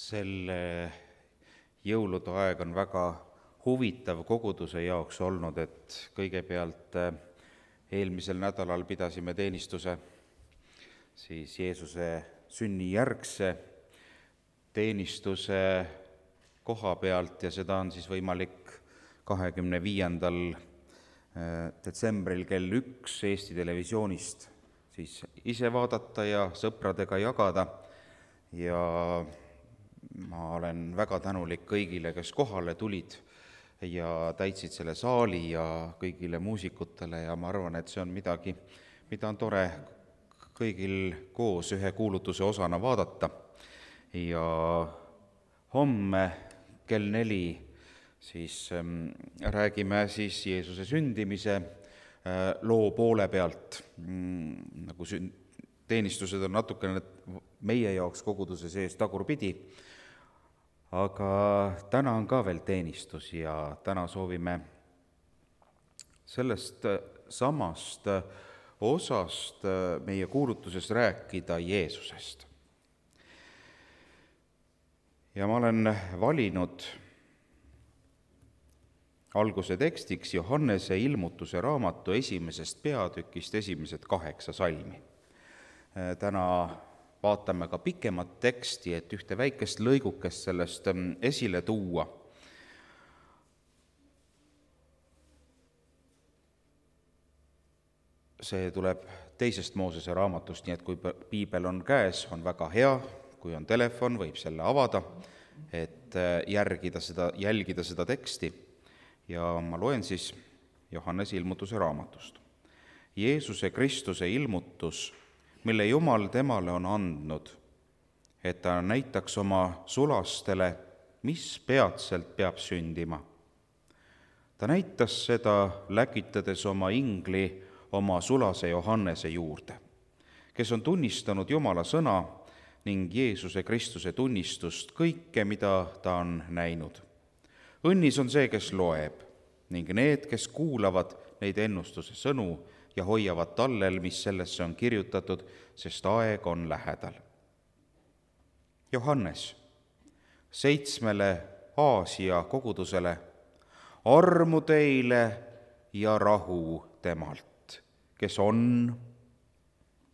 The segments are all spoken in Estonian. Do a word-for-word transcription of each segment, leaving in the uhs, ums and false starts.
Selle jõulude aeg on väga huvitav koguduse jaoks olnud, et kõigepealt eelmisel nädalal pidasime teenistuse siis Jeesuse sünnijärgse teenistuse koha pealt ja seda on siis võimalik kahekümne viiendal detsembril kell üks Eesti Televisioonist siis ise vaadata ja sõpradega jagada. Ja ma olen väga tänulik kõigile, kes kohale tulid ja täitsid selle saali ja kõigile muusikutele ja ma arvan, et see on midagi, mida on tore kõigil koos ühe kuulutuse osana vaadata. Ja homme kell neli siis ähm, räägime siis Jeesuse sündimise äh, loo poole pealt, mm, nagu sün- teenistused on natukene meie jaoks koguduse sees tagurpidi, aga täna on ka veel teenistus ja täna soovime sellest samast osast meie kuulutuses rääkida Jeesusest. Ja ma olen valinud alguse tekstiks Johannese ilmutuse raamatu esimesest peatükist esimesed kaheksa salmi. Täna vaatame ka pikemat teksti, et ühte väikest lõigukest sellest esile tuua. See tuleb teisest Moosese raamatust, nii et kui piibel on käes, on väga hea, kui on telefon, võib selle avada, et järgida seda, jälgida seda teksti. Ja ma loen siis Johannese ilmutuse raamatust. Jeesuse Kristuse ilmutus, mille Jumal temale on andnud, et ta näitaks oma sulastele, mis peatselt peab sündima. Ta näitas seda, läkitades oma ingli oma sulase Johannese juurde, kes on tunnistanud Jumala sõna ning Jeesuse Kristuse tunnistust kõike, mida ta on näinud. Õnnis on see, kes loeb, ning need, kes kuulavad neid ennustuse sõnu ja hoiavad tallel, mis sellesse on kirjutatud, sest aeg on lähedal. Johannes, seitsmele Aasia kogudusele, armu teile ja rahu temalt, kes on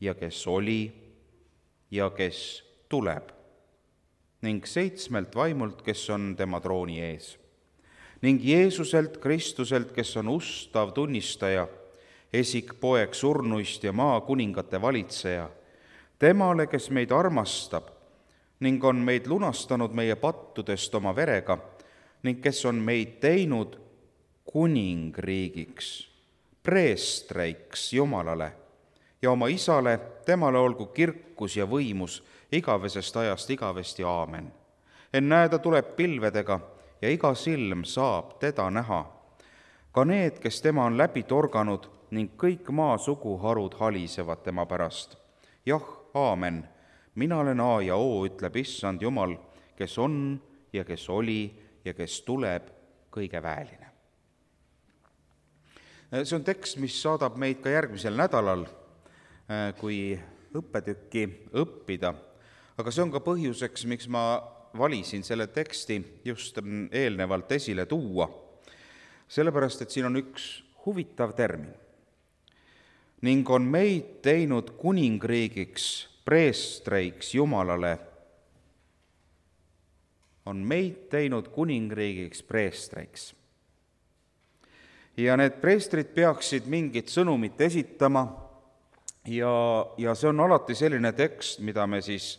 ja kes oli ja kes tuleb, ning seitsmelt vaimult, kes on tema trooni ees, ning Jeesuselt Kristuselt, kes on ustav tunnistaja, esik poeg surnuist ja maa kuningate valitseja, temale, kes meid armastab ning on meid lunastanud meie pattudest oma verega ning kes on meid teinud kuningriigiks, preestreiks Jumalale ja oma isale, temale olgu kirkus ja võimus igavesest ajast igavesti, aamen. Ennäe, ta tuleb pilvedega ja iga silm saab teda näha, ka need, kes tema on läbi torganud ning kõik maa suguharud halisevad tema pärast. Jah, aamen, mina olen A ja O, ütleb issand Jumal, kes on ja kes oli ja kes tuleb, kõige väeline. See on tekst, mis saadab meid ka järgmisel nädalal, kui õppetükki õppida, aga see on ka põhjuseks, miks ma valisin selle teksti just eelnevalt esile tuua, sellepärast, et siin on üks huvitav termin. Ning on meid teinud kuningriigiks, preestreiks Jumalale. On meid teinud kuningriigiks, preestreiks. Ja need preestrid peaksid mingit sõnumit esitama ja, ja see on alati selline tekst, mida me siis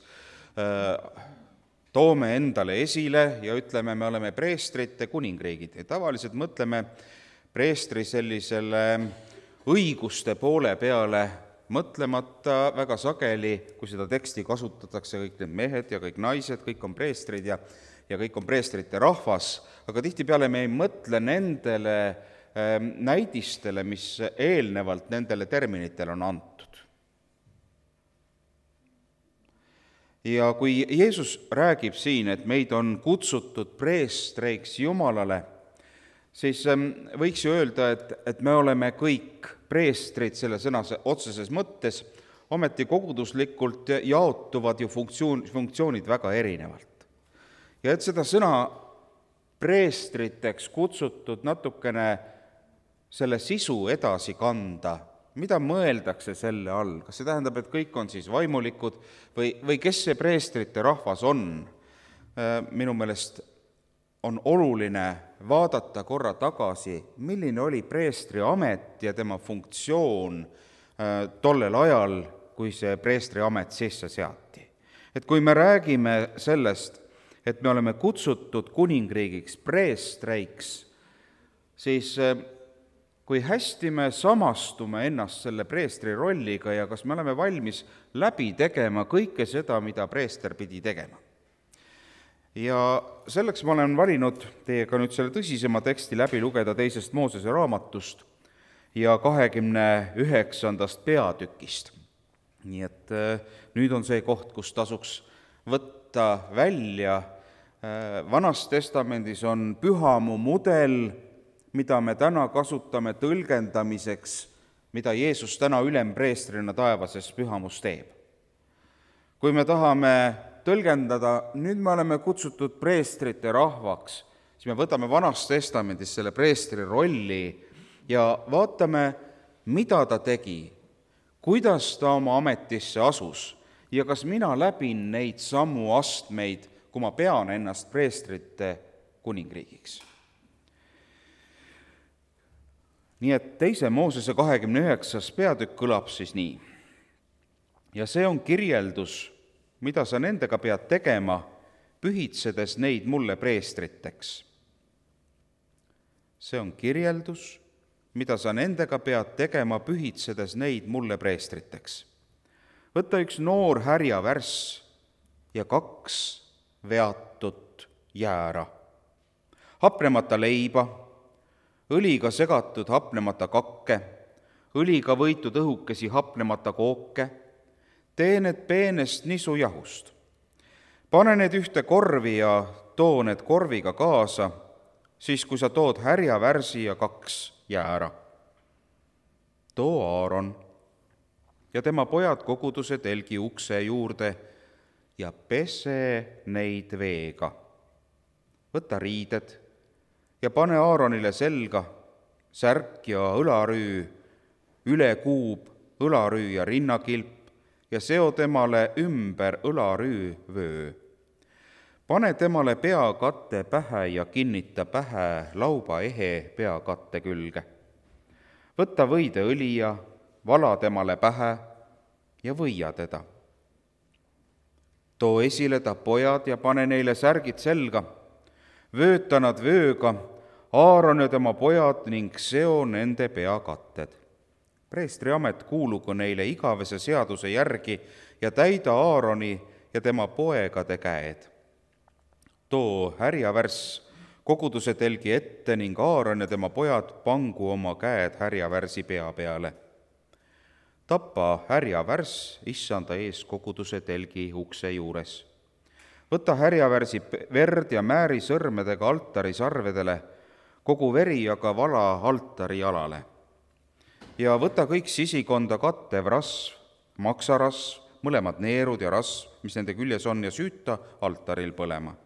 äh, toome endale esile ja ütleme, me oleme preestrite kuningriigid. Ja tavaliselt mõtleme preestri sellisele õiguste poole peale, mõtlemata väga sageli, kui seda teksti kasutatakse, kõik need mehed ja kõik naised, kõik on preestrid ja, ja kõik on preestrite rahvas, aga tihtipeale me ei mõtle nendele äh, näidistele, mis eelnevalt nendele terminitele on antud. Ja kui Jeesus räägib siin, et meid on kutsutud preestreiks Jumalale, siis võiks ju öelda, et, et me oleme kõik preestrid selle sõna otseses mõttes, ometi koguduslikult jaotuvad ju funktsioon, funktsioonid väga erinevalt. Ja et seda sõna preestriteks kutsutud natukene selle sisu edasi kanda, mida mõeldakse selle all, kas see tähendab, et kõik on siis vaimulikud või, või kes see preestrite rahvas on? Minu meelest on oluline vaadata korra tagasi, milline oli preestri amet ja tema funktsioon tollel ajal, kui see preestri amet sisse seati. Et kui me räägime sellest, et me oleme kutsutud kuningriigiks preestreiks, siis kui hästi me samastume ennast selle preestri rolliga ja kas me oleme valmis läbi tegema kõike seda, mida preester pidi tegema. Ja selleks ma olen valinud teiega nüüd selle tõsisema teksti läbi lugeda teisest Moosese raamatust ja kahekümne üheksandast peatükist. Nii et nüüd on see koht, kus tasuks võtta välja. Vanas testamendis on pühamu mudel, mida me täna kasutame tõlgendamiseks, mida Jeesus täna ülempreestrina taevases pühamus teeb. Kui me tahame tõlgendada, nüüd me oleme kutsutud preestrite rahvaks, siis me võtame vanas testamendis selle preestri rolli ja vaatame, mida ta tegi, kuidas ta oma ametisse asus ja kas mina läbin neid samu astmeid, kui ma pean ennast preestrite kuningriigiks. Nii et teise Moosese kahekümne üheksas peatükk kõlab siis nii. Ja see on kirjeldus, mida sa nendega pead tegema, pühitsedes neid mulle preestriteks. See on kirjeldus, mida sa nendega pead tegema, pühitsedes neid mulle preestriteks. Võta üks noor härjavärss ja kaks veatut jäära, hapnemata leiba, õliga segatud hapnemata kakke, õliga võitud õhukesi hapnemata kooke, tee need peenest nisujahust. Pane need ühte korvi ja too need korviga kaasa, siis kui sa tood härjavärsi ja kaks jäära. Too Aaron ja tema pojad koguduse telgi ukse juurde ja pese neid veega. Võta riided ja pane Aaronile selga särk ja õlarüü, ülekuub, õlarüü ja rinnakilp ja seo temale ümber õlarüü vöö. Pane temale peakatte pähe ja kinnita pähe lauba ehe peakatte külge. Võta võideõli ja vala temale pähe ja võia teda. Too esile ta pojad ja pane neile särgid selga, vööta nad vööga, Aaron ja tema pojad ning seo nende peakatted. Preestri amet kuulugu neile igavese seaduse järgi ja täida Aaroni ja tema poegade käed. Too härjavärss koguduse telgi ette ning Aaron ja tema pojad pangu oma käed härjavärsi pea peale. Tapa härjavärss issanda ees koguduse telgi ukse juures. Võta härjavärsi verd ja määri sõrmedega altari sarvedele, kogu veri aga vala altari jalale. Ja võta kõik sisikonda kattev rasv, maksarasv, mõlemad neerud ja rasv, mis nende küljes on, ja süüta altaril põlema.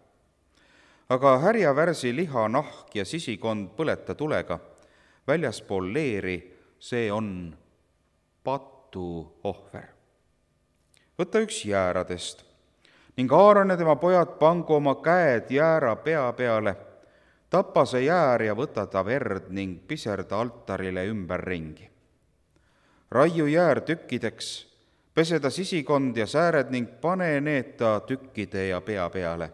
Aga härjavärsi liha, nahk ja sisikond põleta tulega, väljaspool leeri, see on patuohver. Võta üks jääradest ning Aaron ja tema pojad pangu oma käed jäära pea peale, tapa see jäär ja võta ta verd ning piserda altarile ümberringi. Raiu jäär tükkideks, pese ta sisikond ja sääred ning pane need ta tükkide ja pea peale.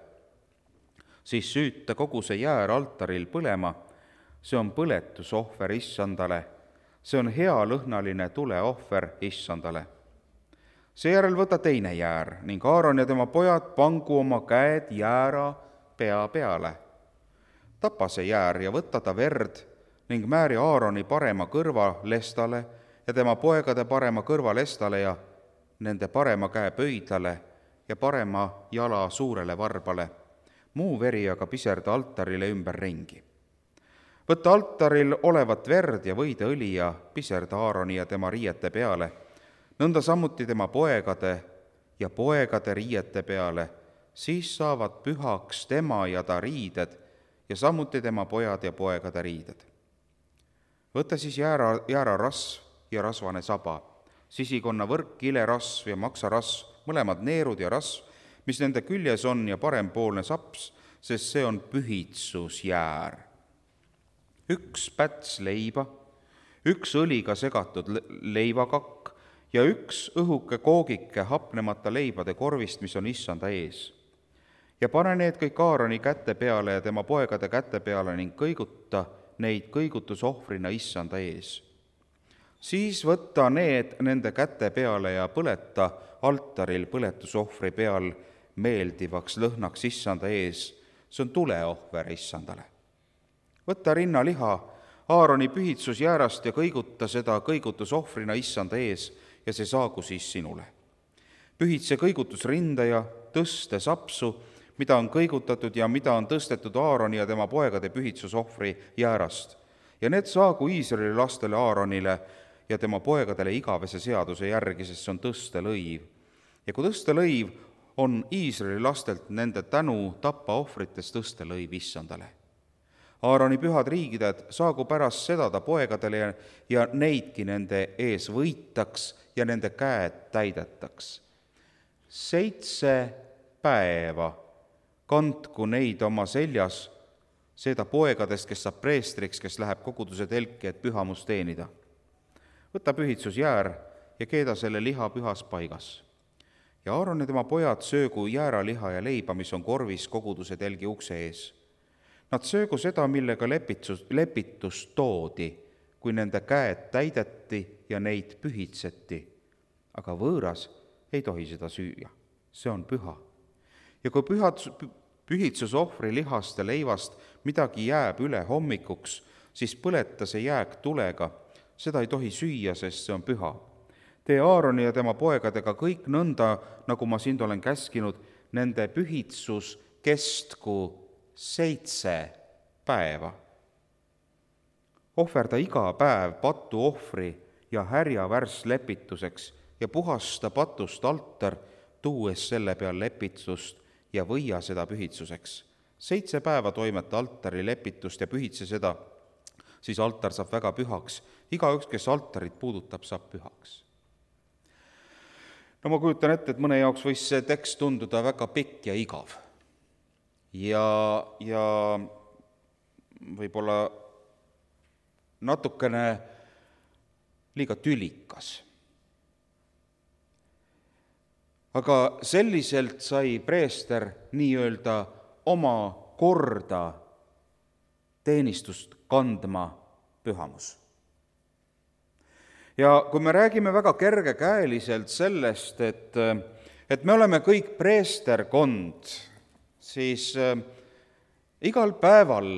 Siis süüta kogu see jäär altaril põlema, see on põletusohver issandale, see on hea lõhnaline tuleohver issandale. Seejärel võta teine jäär ning Aaron ja tema pojad pangu oma käed jäära pea peale. Tapa see jäär ja võta ta verd ning määri Aaroni parema kõrva lestale ja tema poegade parema kõrva lestale ja nende parema käe pöidlale ja parema jala suurele varbale. Muu veri aga piserda altarile ümberringi. Võta altaril olevat verd ja võideõli ja piserda Aaroni ja tema riiete peale, nõnda samuti tema poegade ja poegade riiete peale, siis saavad pühaks tema ja ta riided ja samuti tema pojad ja poegade riided. Võta siis jäära, jäärarasv ja rasvane saba, sisikonna võrk, kilerasv ja maksarasv, mõlemad neerud ja rasv, mis nende küljes on, ja parempoolne saps, sest see on pühitsusjäär. Üks päts leiba, üks õliga segatud leivakakk ja üks õhuke koogike hapnemata leibade korvist, mis on issanda ees. Ja pane need kõik Aaroni käte peale ja tema poegade käte peale ning kõiguta neid kõigutusohvrina issanda ees. Siis võta need nende käte peale ja põleta altaril põletusohvri peal meeldivaks lõhnaks issanda ees. See on tuleohver issandale. Võta rinnaliha Aaroni pühitsusjäärast ja kõiguta seda kõigutusohvrina issanda ees ja see saagu siis sinule. Pühitse kõigutusrinda ja tõste sapsu, mida on kõigutatud ja mida on tõstetud Aaroni ja tema poegade pühitsusohvri jäärast. Ja need saagu Iisraeli lastele Aaronile ja tema poegadele igavese seaduse järgi, sest see on tõstelõiv. Ja kui tõstelõiv on Iisraeli lastelt nende tänu tapaohvrites tõstelõiv issandale. Aaroni pühad riigided saagu pärast seda ta poegadele ja, ja neidki nende ees võitaks ja nende käed täidetaks. Seitse päeva kandku neid oma seljas, seda poegadest, kes saab preestriks, kes läheb koguduse telki, et pühamust teenida. Võta pühitsusjäär ja keeda selle liha pühas paigas. Ja Aaron ja tema pojad söögu jääraliha ja leiba, mis on korvis koguduse telgi ukse ees. Nad söögu seda, millega lepitus, lepitus toodi, kui nende käed täideti ja neid pühitseti. Aga võõras ei tohi seda süüa, see on püha. Ja kui pühad, pühitsusohvri lihast ja leivast midagi jääb üle hommikuks, siis põleta see jääk tulega, seda ei tohi süüa, sest see on püha. Tee Aaroni ja tema poegadega kõik nõnda, nagu ma sind olen käskinud, nende pühitsus kestku seitse päeva. Ohverda iga päev patu ohvri ja härja värss lepituseks ja puhasta patust altar, tuues selle peal lepitust ja võia seda pühitsuseks. Seitse päeva toimeta altari lepitust ja pühitse seda, siis altar saab väga pühaks. Igaüks, kes altarit puudutab, saab pühaks. No ma kujutan ette, et mõne jaoks võis see tekst tunduda väga pikk ja igav. Ja, ja võib-olla natukene liiga tülikas. Aga selliselt sai preester nii-öelda oma korda teenistust kandma pühamus. Ja kui me räägime väga kergekäeliselt sellest, et, et me oleme kõik preesterkond, siis äh, igal päeval,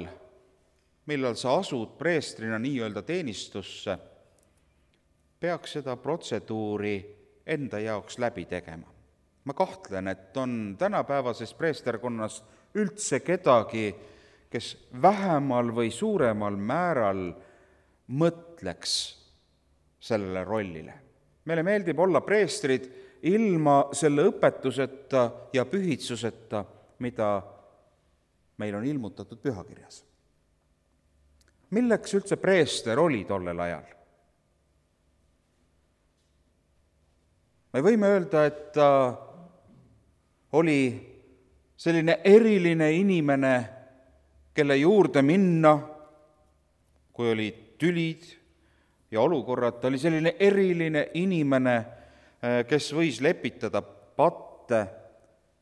millal sa asud preestrina nii-öelda teenistusse, peaks seda protseduuri enda jaoks läbi tegema. Ma kahtlen, et on tänapäevases preesterkonnas üldse kedagi, kes vähemal või suuremal määral mõtleks sellele rollile. Meile meeldib olla preestrid ilma selle õpetuseta ja pühitsuseta, mida meil on ilmutatud pühakirjas. Milleks üldse preester oli tollel ajal? Me võime öelda, et ta oli selline eriline inimene, kelle juurde minna, kui olid tülid ja olukorrad. Ta oli selline eriline inimene, kes võis lepitada patte.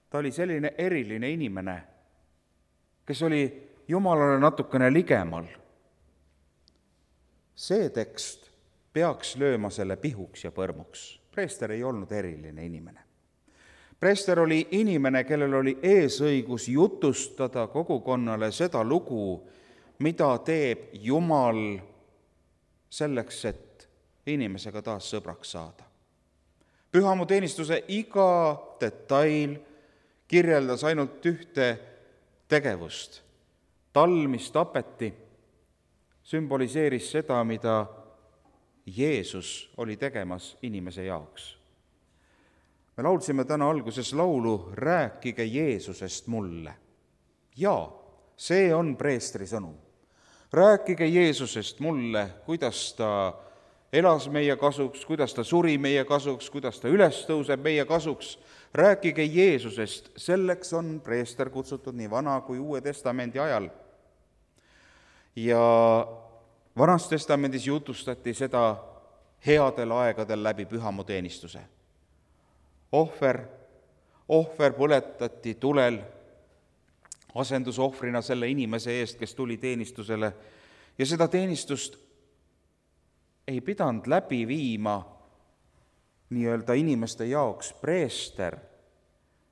Ta oli selline eriline inimene, kes oli Jumalale natukene ligemal. See tekst peaks lööma selle pihuks ja põrmuks. Preester ei olnud eriline inimene. Preester oli inimene, kellel oli eesõigus jutustada kogukonnale seda lugu, mida teeb Jumal selleks, et inimesega taas sõbraks saada. Pühamuteenistuse iga detail kirjeldas ainult ühte tegevust. Tall, mis tapeti, sümboliseeris seda, mida Jeesus oli tegemas inimese jaoks. me laulsime täna alguses laulu Rääkige Jeesusest mulle. Jaa, see on preestri sõnum. Rääkige Jeesusest mulle, kuidas ta elas meie kasuks, kuidas ta suri meie kasuks, kuidas ta üles tõuseb meie kasuks. Rääkige Jeesusest, selleks on preester kutsutud nii Vana kui Uue Testamendi ajal. Ja Vanas Testamendis jutustati seda headel aegadel läbi pühamuteenistuse. Ohver, ohver põletati tulel asendusohvrina selle inimese eest, kes tuli teenistusele, ja seda teenistust ei pidanud läbi viima nii-öelda inimeste jaoks preester,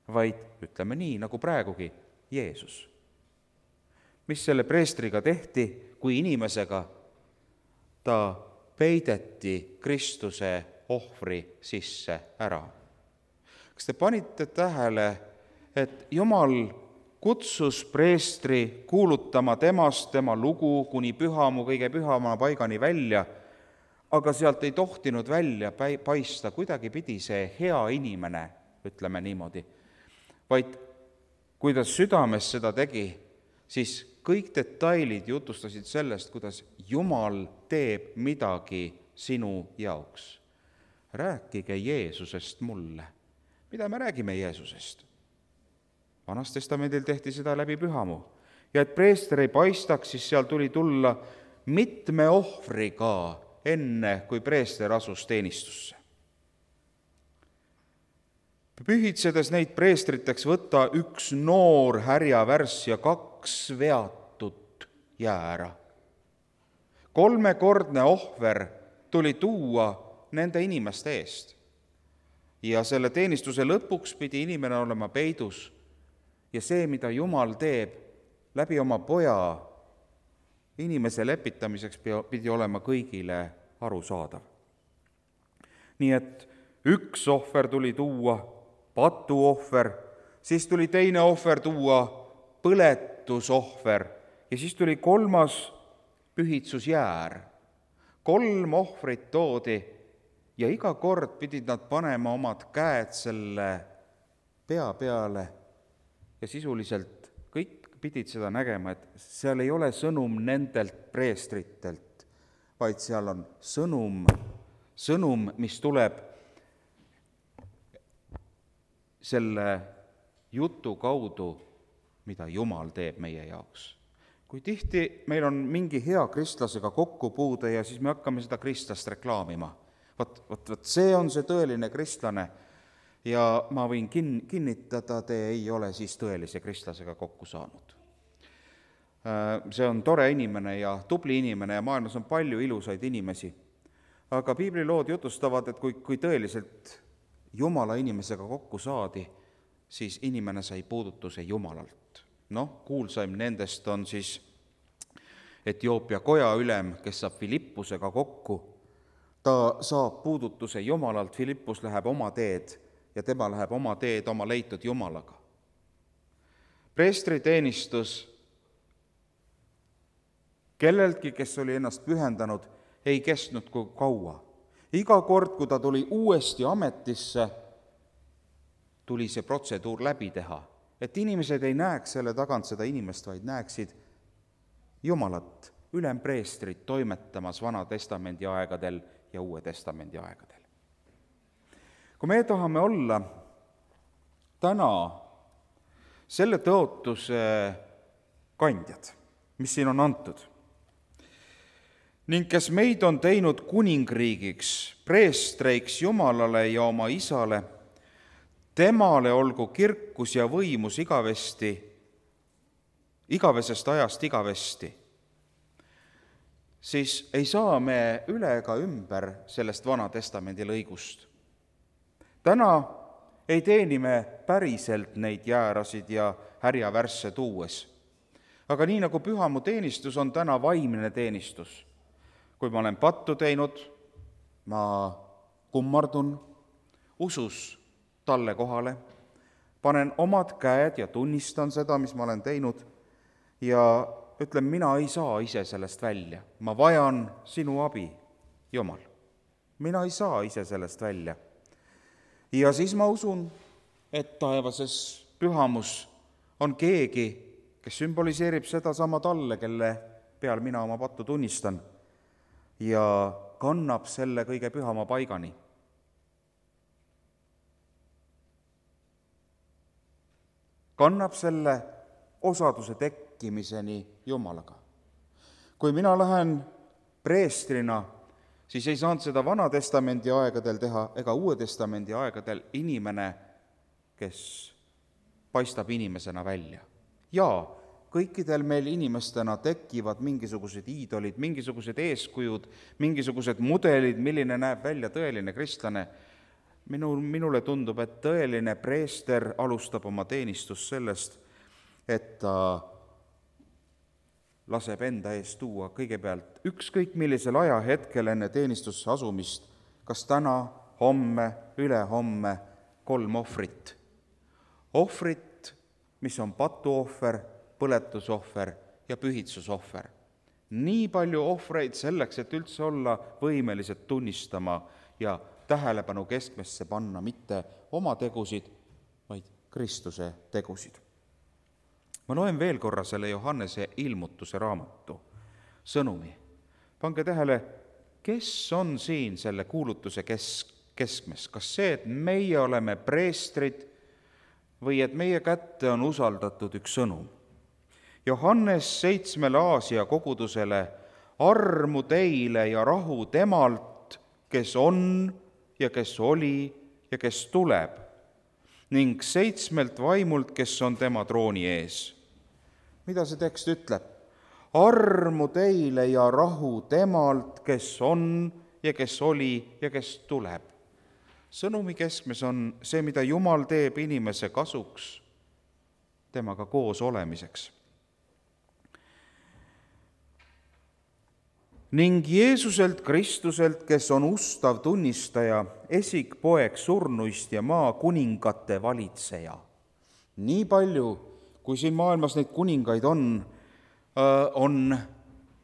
vaid ütleme nii, nagu praegugi, Jeesus. Mis selle preestriga tehti, kui inimesega? Ta peideti Kristuse ohvri sisse ära. Kas te panite tähele, et Jumal kutsus preestri kuulutama temast, tema lugu kuni pühamu kõige pühama paigani välja, aga sealt ei tohtinud välja paista kuidagi pidi see hea inimene, ütleme niimoodi, vaid kui ta südames seda tegi, siis kõik detailid jutustasid sellest, kuidas Jumal teeb midagi sinu jaoks. Rääkige Jeesusest mulle. Mida me räägime Jeesusest? Vanas Testamendil tehti seda läbi pühamu. Ja et preester ei paistaks, siis seal tuli tulla mitme ohvriga enne, kui preester asus teenistusse. Pühitsedes neid preestriteks võtta üks noor härjavärss ja kaks veatut jäära. Kolmekordne ohver tuli tuua nende inimeste eest. Ja selle teenistuse lõpuks pidi inimene olema peidus. Ja see, mida Jumal teeb läbi oma poja inimese lepitamiseks, pidi olema kõigile arusaadav. Nii et üks ohver tuli tuua, patuohver, siis tuli teine ohver tuua, põletusohver, ja siis tuli kolmas pühitsusjäär. Kolm ohvrit toodi ja iga kord pidid nad panema omad käed selle pea peale ja sisuliselt kõik pidid seda nägema, et seal ei ole sõnum nendelt preestritelt, vaid seal on sõnum, sõnum, mis tuleb selle jutu kaudu, mida Jumal teeb meie jaoks. Kui tihti meil on mingi hea kristlasega kokkupuude ja siis me hakkame seda kristlast reklaamima. Vot, vot, vot see on see tõeline kristlane ja ma võin kin- kinnitada, te ei ole siis tõelise kristlasega kokku saanud. See on tore inimene ja tubli inimene ja maailmas on palju ilusaid inimesi. Aga piiblilood jutustavad, et kui, kui tõeliselt Jumala inimesega kokku saadi, siis inimene sai puudutuse Jumalalt. Noh, kuulsaim nendest on siis Etioopia koja ülem, kes saab Filippusega kokku. Ta saab puudutuse Jumalalt, Filippus läheb oma teed ja tema läheb oma teed oma leitud Jumalaga. Preestri teenistus kelleltki, kes oli ennast pühendanud, ei kestnud kui kaua. Iga kord, kui ta tuli uuesti ametisse, tuli see protseduur läbi teha. Et inimesed ei näeks selle tagant seda inimest, vaid näeksid Jumalat, ülempreestrit toimetamas Vana Testamendi aegadel ja Uue Testamendi aegadel. Kui me tahame olla täna selle tõotuse kandjad, mis siin on antud, ning kes meid on teinud kuningriigiks, preestreiks Jumalale ja oma isale, temale olgu kirkus ja võimus igavesti, igavesest ajast igavesti, siis ei saa me üle ega ümber sellest Vana Testamendi lõigust. Täna ei teeni me päriselt neid jäärasid ja härjavärsse tuues. Aga nii nagu pühamu teenistus on täna vaimne teenistus. Kui ma olen pattu teinud, ma kummardun usus talle kohale, panen omad käed ja tunnistan seda, mis ma olen teinud ja ütlen, mina ei saa ise sellest välja. Ma vajan sinu abi, Jumal. Mina ei saa ise sellest välja. Ja siis ma usun, et taevases pühamus on keegi, kes sümboliseerib seda sama talle, kelle peal mina oma pattu tunnistan ja kannab selle kõige pühama paigani. Kannab selle osaduse tekkimiseni Jumalaga. Kui mina lähen preestrina, siis ei saanud seda Vana Testamendi aegadel teha ega Uue Testamendi aegadel inimene, kes paistab inimesena välja. Jaa, kõikidel meil inimestena tekivad mingisugused iidolid, mingisugused eeskujud, mingisugused mudelid, milline näeb välja tõeline kristlane. Minul, minule tundub, et tõeline preester alustab oma teenistust sellest, et ta laseb enda eest tuua kõigepealt ükskõik millisel ajahetkel enne teenistusse asumist, kas täna, homme, ülehomme, kolm ohvrit. Ohvrit, mis on patuohver, põletusohver ja pühitsusohver. Nii palju ohvreid selleks, et üldse olla võimelised tunnistama ja tähelepanu keskmesse panna mitte oma tegusid, vaid Kristuse tegusid. Ma loen veel korra selle Johannese ilmutuse raamatu sõnumi. Pange tähele, kes on siin selle kuulutuse kesk, keskmes? Kas see, et meie oleme preestrid või et meie kätte on usaldatud üks sõnum? Johannes seitsmele Aasia kogudusele: armu teile ja rahu temalt, kes on ja kes oli ja kes tuleb, ning seitsmelt vaimult, kes on tema trooni ees. Mida see tekst ütleb? Armu teile ja rahu temalt, kes on ja kes oli ja kes tuleb. Sõnumi keskmes on see, mida Jumal teeb inimese kasuks, temaga koos olemiseks. Ning Jeesuselt Kristuselt, kes on ustav tunnistaja, esikpoeg surnuist ja maa kuningate valitseja. Nii palju, kui siin maailmas neid kuningaid on, on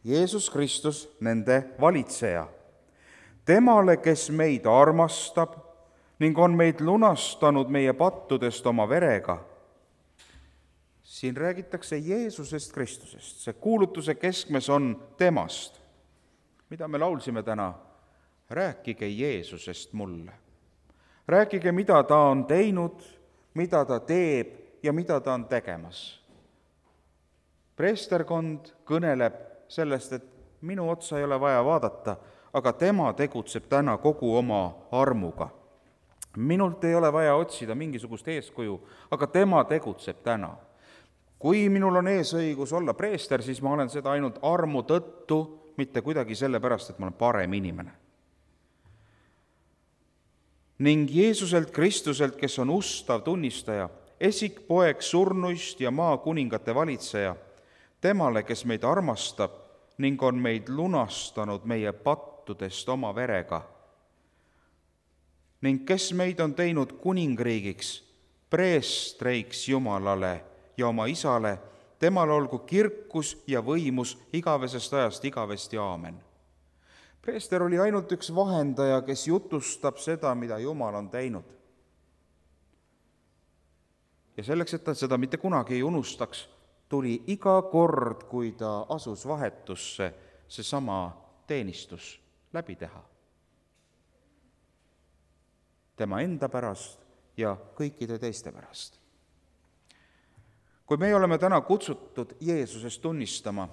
Jeesus Kristus nende valitseja. Temale, kes meid armastab ning on meid lunastanud meie pattudest oma verega. Siin räägitakse Jeesusest Kristusest. See kuulutuse keskmes on temast. Mida me laulsime täna? Rääkige Jeesusest mulle. Rääkige, mida ta on teinud, mida ta teeb ja mida ta on tegemas. Preesterkond kõneleb sellest, et minu otsa ei ole vaja vaadata, aga tema tegutseb täna kogu oma armuga. Minult ei ole vaja otsida mingisugust eeskuju, aga tema tegutseb täna. Kui minul on eesõigus olla preester, siis ma olen seda ainult armu tõttu, mitte kuidagi sellepärast, et ma olen parem inimene. Ning Jeesuselt Kristuselt, kes on ustav tunnistaja, esikpoeg surnuist ja maa kuningate valitseja, temale, kes meid armastab ning on meid lunastanud meie pattudest oma verega, ning kes meid on teinud kuningriigiks, preestreiks Jumalale ja oma isale, temal olgu kirkus ja võimus igavesest ajast igavesti, aamen. Preester oli ainult üks vahendaja, kes jutustab seda, mida Jumal on teinud. Ja selleks, et ta seda mitte kunagi ei unustaks, tuli iga kord, kui ta asus vahetusse, see sama teenistus läbi teha. Tema enda pärast ja kõikide teiste pärast. Kui me oleme täna kutsutud Jeesusest tunnistama,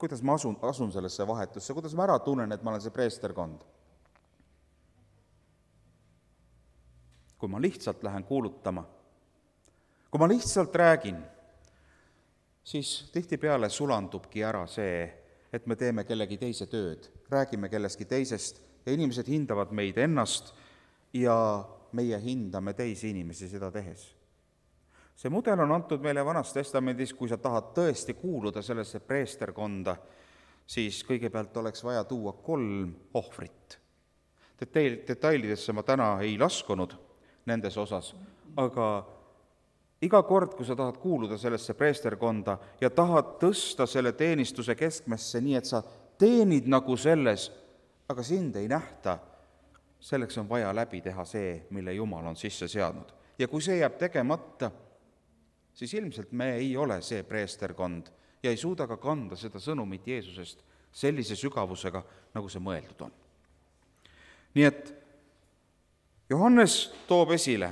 kuidas ma asun, asun sellesse vahetusse, kuidas ma ära tunnen, et ma olen see preesterkond? Kui ma lihtsalt lähen kuulutama, kui ma lihtsalt räägin, siis tihtipeale sulandubki ära see, et me teeme kellegi teise tööd, räägime kellestki teisest ja inimesed hindavad meid ennast ja meie hindame teisi inimesi seda tehes. See mudel on antud meile Vanas Testamendis, kui sa tahad tõesti kuuluda sellesse preesterkonda, siis kõigepealt oleks vaja tuua kolm ohvrit. Detail, detailidesse ma täna ei laskunud nendes osas, aga iga kord, kui sa tahad kuuluda sellesse preesterkonda ja tahad tõsta selle teenistuse keskmesse nii, et sa teenid nagu selles, aga sind ei nähta, selleks on vaja läbi teha see, mille Jumal on sisse seadnud. Ja kui see jääb tegemata, siis ilmselt me ei ole see preesterkond ja ei suuda ka kanda seda sõnumit Jeesusest sellise sügavusega, nagu see mõeldud on. Nii et Johannes toob esile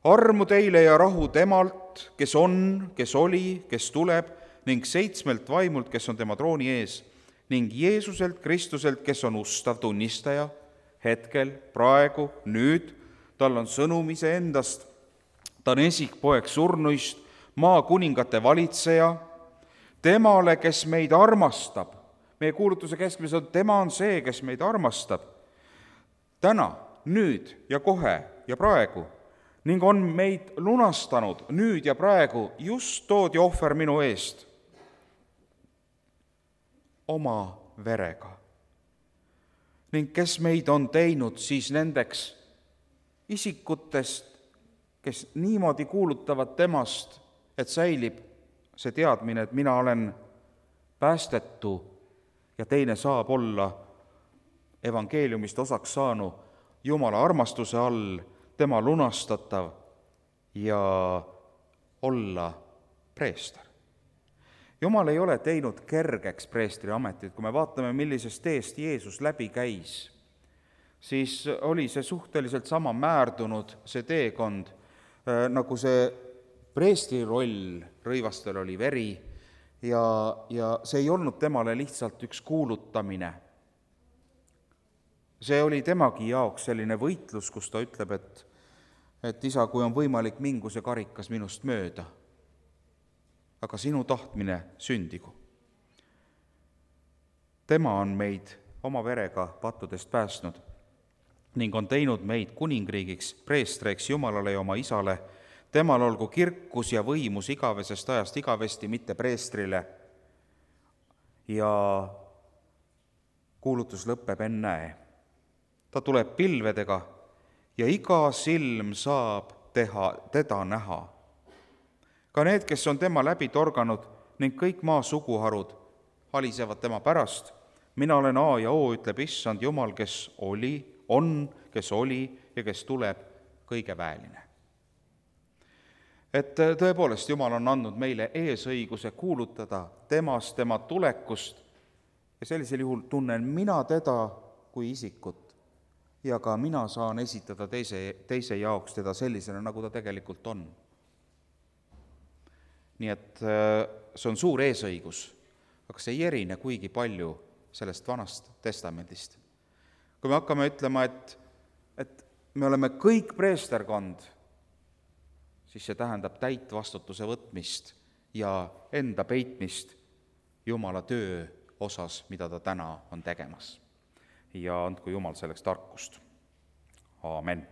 armu teile ja rahu temalt, kes on, kes oli, kes tuleb, ning seitsmelt vaimult, kes on tema trooni ees, ning Jeesuselt Kristuselt, kes on ustav tunnistaja, hetkel, praegu, nüüd, tal on sõnum iseendast, ta on esikpoeg surnuist, maa kuningate valitseja, temale, kes meid armastab. Meie kuulutuse keskmes on, tema on see, kes meid armastab. Täna, nüüd ja kohe ja praegu ning on meid lunastanud nüüd ja praegu just toodi ohver minu eest oma verega. Ning kes meid on teinud siis nendeks isikutest, kes niimoodi kuulutavad temast, et säilib see teadmine, et mina olen päästetu ja teine saab olla evangeeliumist osaks saanu Jumala armastuse all, tema lunastatav ja olla preester. Jumal ei ole teinud kergeks preestri ametit. Kui me vaatame, millisest teest Jeesus läbi käis, siis oli see suhteliselt sama määrdunud, see teekond, nagu see preestri roll, rõivastel oli veri ja, ja see ei olnud temale lihtsalt üks kuulutamine. See oli temagi jaoks selline võitlus, kus ta ütleb, et, et isa, kui on võimalik, mingu see karikas minust mööda, aga sinu tahtmine sündigu. Tema on meid oma verega pattudest päästnud ning on teinud meid kuningriigiks, preestreiks Jumalale ja oma isale. Temal olgu kirkus ja võimus igavesest ajast igavesti, mitte preestrile. Ja kuulutus lõpeb ennäe. Ta tuleb pilvedega ja iga silm saab teha, teda näha. Ka need, kes on tema läbi torganud ning kõik maa suguharud halisevad tema pärast. Mina olen A ja O, ütleb issand Jumal, kes oli, on, kes oli ja kes tuleb, kõige väeline. Et tõepoolest Jumal on andnud meile eesõiguse kuulutada temast, tema tulekust ja sellisel juhul tunnen mina teda kui isikut ja ka mina saan esitada teise, teise jaoks teda sellisena, nagu ta tegelikult on. Nii et see on suur eesõigus, aga see ei erine kuigi palju sellest vanast testamendist. Kui me hakkame ütlema, et, et me oleme kõik preesterkond, siis see tähendab täit vastutuse võtmist ja enda peitmist Jumala töö osas, mida ta täna on tegemas. Ja andku Jumal selleks tarkust. Aamen.